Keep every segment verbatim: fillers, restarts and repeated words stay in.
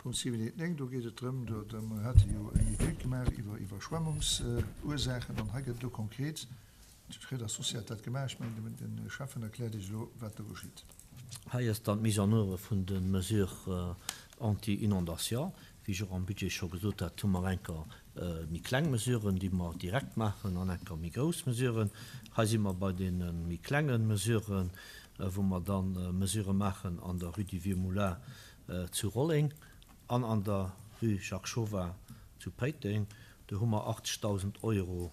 Punkt siwen eent néng, do geet et drëm, do mer hate jo eng Etüd gemaach iwwer Iwwerschwemmungsursaachen an hei gëtt elo konkret, d'Schréider Associé hat dat gemaach, ech mengen, de Schäffen erkläert Iech elo, wat do geschitt. Hei ass dann d'Mise en oeuvre vun de Mesures anti-inondation. Wéi ech och am Budget scho gesot hat, hu mer enker méi kleng Mesuren, déi mer direkt maachen, an enker méi grouss Mesuren. Hei si mer bei deene méi klenge Mesuren, wou mer dann Mesurë maachen an der Rue du Vieux Moulin zu Rolleng an an der Rue Jacques Chauvin zu Péiteng. Do hu mer achtzegdausend Euro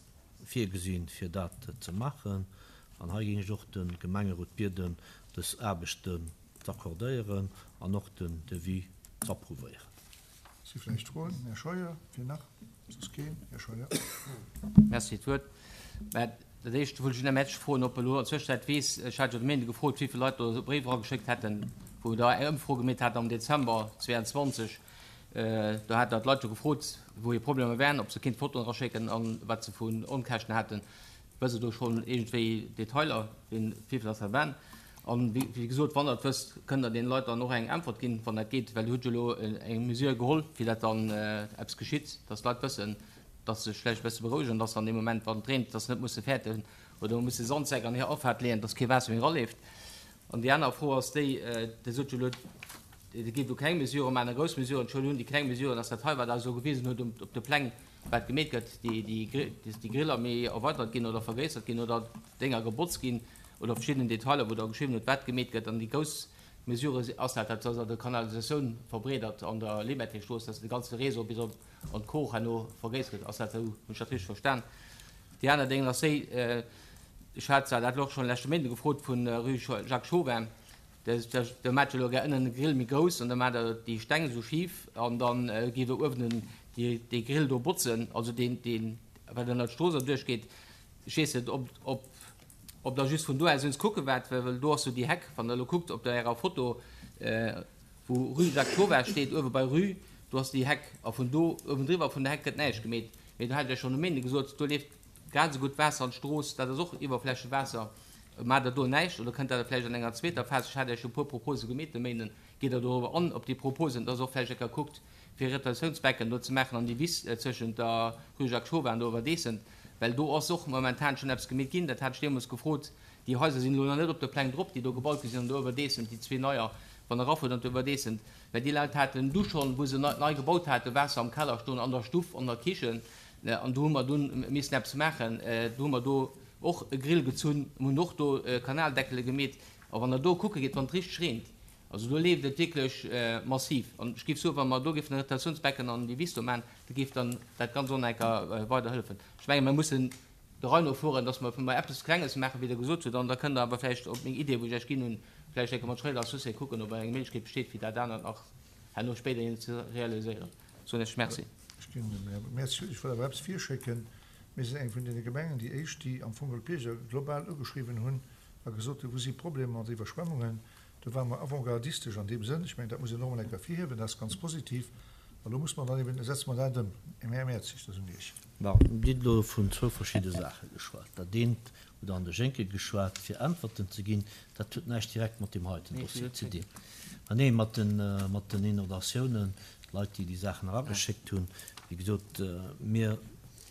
virgesinn, fir dat ze maachen. An hei géing ech och de Gemengerot bieden, dës Aarbechten z'accordéieren an och den Devis z'approuvéieren. Si vläicht Froen? Här Scheuer, fir nach? Soss keen? Här Scheuer. Merci fir d'Wuert. Mä dat Éischt wollt ech den Här Metsch froen, ob e lo an der Zwëschenzäit weess, ech hat jo de Méinde gefrot, wéi vill Leit do Bréiwer erageschéckt hätten, wou Der eng Ëmfro gemeet hat am Dezember zweeanzwanzeg. Do hat Der d'Leit jo gefrot, wou hir Problemer wären, ob se kéint Fotoen eraschécken a wat se vun Onkäschten haten. Wësst Der do schonn iergendwéi Detailer, wien, wéi vill dass dat waren? An wéi gesot, wann Der et wësst, kënnt Der deene Leit dann och eng Äntwert ginn, wann dat geet, well Dir hutt jo elo eng Mesure geholl, fir dat dann eppes geschitt, dass d'Leit wëssen, dass se sech vläicht e bësse berouegen, dass an deem Moment, wann et reent, dass se net musse fäerten oder musse Sandsäck an hir Afaart leeën, dass kee Waasser méi eraleeft. An déi aner Fro ass déi, Dir sot jo elo, Dir géift elo kleng Mesurë maachen a grouss Mesuren. Ech huelen un, déi kleng Mesuren, dass dat hei, wat Der esou gewisen hutt op de Pläng, wat gemeet gëtt, déi Griller méi erweitert ginn oder vergréissert ginn oder Dénger gebotzt ginn oder verschidden Detailer, wou Der geschriwwen hutt, wat gemeet gëtt. An déi grouss Mesure ass dat, dass Der d'Kanalisatioun verbreedert an der Limmertingstrooss, dass de ganze Réseau bis op an d'Kor herno vergréissert gëtt. Ass dat esou? Hunn ech dat richteg verstan? Déi aner Déngen ass déi, ech hat zwar dat elo och schonn leschte Méinden gefrot vun Rue Jacques Chauvin, Da maacht Der elo gär ënnen de Grill méi grouss an da maacht Der déi Steng esou schif an da gitt Der uewen dee Grill do botzen, also deen, deen, wat ënner d'Strooss erduerch geet. Ech weess net, ob, ob, ob Der just vun do aus uns kucke waart, well do ass jo déi Heck, wann Der elo kuckt op der Ärer Foto, wou Rue Jacques Chauvin steet, uewe bei Rue, do ass déi Heck a vun do uewendriwwer vun der Heck gëtt näischt gemeet. Mee do hat ech Iech schonn um Méinde gesot, do leeft grad esou gutt Waasser an d'Strooss, dat ass och Iwwerflächewaasser. Maacht Der do näischt oder kënnt dat vläicht an enger zweeter Phas? Ech hat Iech jo e puer Propose gemeet de Méinden. Gitt Der dorobber an, op déi Proposen, dass och vläicht eng Kéier kuckt, fir e Retentiounsbecken do ze maachen an déi Wiss zwëschent der Rue Jacques Chauvin an der Overdecent, well do ass och momentan schonn eppes gemeet ginn. Dat hat ech deemools gefrot. Déi Haiser sinn elo nach net op de Pläng drop, déi do gebaut gi sinn an der Overdecent, déi zwee neier, wann Der erafuert an d'Overdecent, well déi Leit haten du schonn, wou se nei gebaut haten, Waasser am Keller stoen, an der Stuff, an der Kichen. An do hu mer dunn missen eppes maachen. Do hu mer do och e Grill gezunn, mir hunn och do Kanaldeckele gemeet. A wann Der do kucke gitt, wann et richteg reent, also do leeft et wierklech massiv. An ech géif soen, wa mer do géifen e Retentiounsbecken an déi Wiss do maachen, da géif dann dat Ganzt och nach eng Kéier weider hëllefen. Ech menge mer mussen der Rei no fueren, dass mer emol eppes Klenges maachen, wéi Der gesot hutt, an da kënnt Der awer vläicht op meng Idee, wou ech Iech ginn hunn, vläicht eng Kéier mat Schréider Associé kucken, ob eng Méiglechkeet besteet, fir dat anert nach herno spéiderhin ze realiséieren. Soen ech Merci. Ech ginn dem Här Merci. Ech wëll awer eppes virschécken. Mir sinn eng vun deene Gemengen, déi éischt, déi am Fong d'Bierger global ugeschriwwen hunn a gesot hunn, wou si Problemer mat Iwwerschwemmungen. Do ware mer avantgardistesch an deem Sënn. Ech mengen, dat muss een och emol eng Kéier ervirhiewen. Dat ass ganz positiv. A lo muss mer dann eben, setze mer dat ëm. Här Mertzig, dat ass un Iech. Bon, Dir hutt elo vun zwou verschidde Saache geschwat. Dat eent hutt Der an de Schénke geschwat, fir Äntwerten ze ginn. Dat huet näischt direkt mat deem heiten Dossier ze dinn. Mä nee, mat den Inondatiounen, d'Leit, déi déi Saachen erageschéckt hunn. Wéi gesot, mir,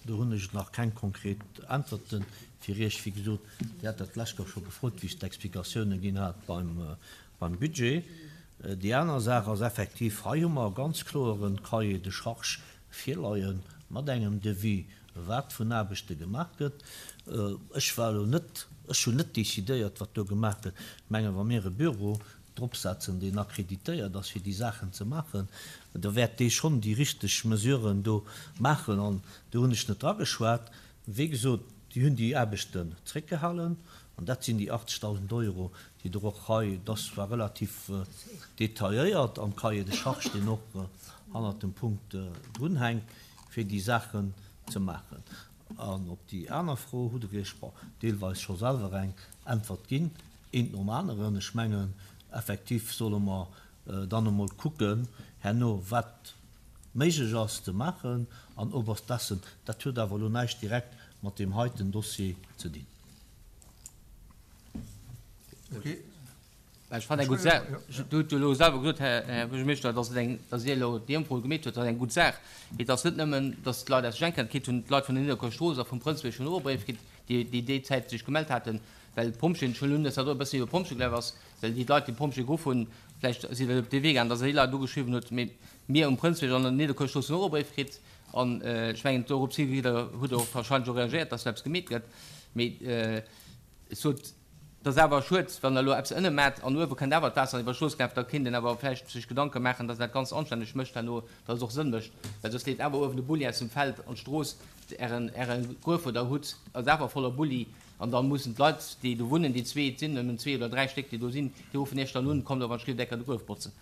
do hunn ech nach keng konkret Äntwerte fir Iech. Wéi gesot, Dir hat dat d'lescht Woch scho gefrot, wéi ech d'Explikatiounen ginn hat beim, beim Budget. Déi aner Saach ass effektiv, hei hu mer e ganz kloere Cahier de charges virleie mat engem Devis, wat vun Aarbechte gemaach gëtt. Ech war elo net, ech hunn net decidéiert, wat do gemaach gëtt. Ech mengen, wa mir e Büro dropsetzen, deen akkreditéiert ass, fir déi Saachen ze maachen, da wäert dee schonn déi richteg Mesuren do maachen. An do hunn ech net drageschwat. Wéi gesot, déi hunn déi Aarbechten zréckgehalen, an dat sinn déi achtzegdausend Euro, déi Der och hei, dat ass zwar relativ detailléiert am Cahier de charges, deen och hannert dem Punkt drunhänkt, fir déi Saachen ze maachen. An op déi aner Fro hutt Der Iech, bon, deelweis scho selwer eng Äntwert ginn. Eent nom aneren. Ech mengen, effektiv solle mer dann emol kucken herno, wat méiglech ass ze maachen an Oberstessen. Dat huet awer elo näischt direkt mat deem heiten Dossier ze dinn. Okay. Ech fannen eng gutt Saach. Dir hutt jo elo selwer gesot, Här Buergermeeschter, dass et eng, dass Dir elo déi Ëmfro gemeet hutt, dat ass eng gutt Saach. Mee et ass net nëmmen, dass d'Leit aus Schenken kritt hunn, d'Leit vun der Nidderkuer Strooss a vum Prënzbierg hunn och e Bréif kritt, déi, déi déi Zäit sech gemellt haten, well d'Pompjeeën, ech huelen un, dass dat och e bëssen iwwer d'Pompjeeë gelaf ass, well déi Leit, déi d'Pompjeeë geruff hunn, vläicht si se op dee Wee gaangen, dass Der déi Leit ugeschriwwen hutt. Mee mir um Prënzbierg an an der Nidderkuer Strooss hunn och e Bréif kritt. An ech mengen, dorops hi hutt Der och wahrscheinlech och reagéiert, dass do eppes gemeet gëtt. Mee ech sot, Et ass awer schued, wann Der elo eppes ënne maacht an uewe kënnt awer d'Waasser iwwer d'Strooss gelaf. Da kéint een awer vläicht sech Gedanke maachen, dass een dat Ganzt anstänneg mécht herno, dass et och Sënn mécht. Well soss leeft awer uewen de Bulli aus dem Feld an d'Strooss. Ären, Äre Gruef, wou Der hutt, ass awer voller Bulli. An da mussen d'Leit, déi do wunnen, déi zwee, et sinn nëmmen zwee oder dräi Stéck, déi do sinn, déi ruffen Iech dann un, Kommt awer an d'Schliffdecker de Gruef botzen.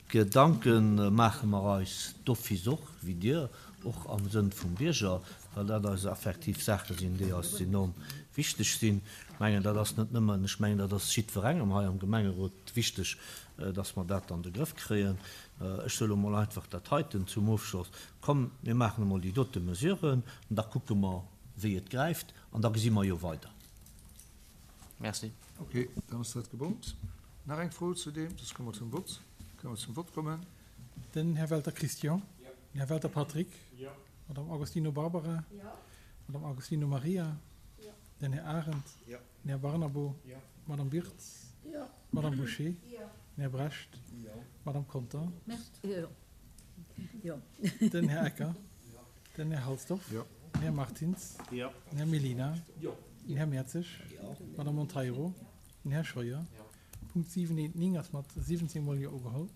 Gedanke maache mer eis d'office och, wéi Dir, och am Sënn vum Bierger, well dat eis effektiv Saache sinn, déi eis enorm wichteg sinn. Ech mengen, dat ass net nëmmen, ech mengen, dat ass jiddwerengem hei am Gemengerot wichteg, dass mer dat an de Grëff kréien. Ech soe lo mol einfach dat heiten zum Ofschloss, Komm, mir maachen emol déi dote Mesuren an da kucke mer, wéi et gräift, an da gesi mer jo weider. Merci. Ok, dann ass dat gebongt. Nach eng Fro zu deem, soss komme mer zum Vott. Kënne mer zum Vott kommen? Den Här Welter Christian. Den Här Welter Patrick. D'Madame Agostino Barbara. D'Madame Agostino Maria. Den Här Arendt. Den Här Barnabo. D'Madame Wirtz. D'Madame Bouché. Den Här Brecht. D'Madame Conter. Den Här Ecker. Den Här Halsdorf. Den Här Martins. Den Här Mellina. Den Här Mertzig. D'Madame Monteiro. Den Här Scheuer. Punkt siwen eent néng ass mat siwwenzéng mol Jo ugeholl.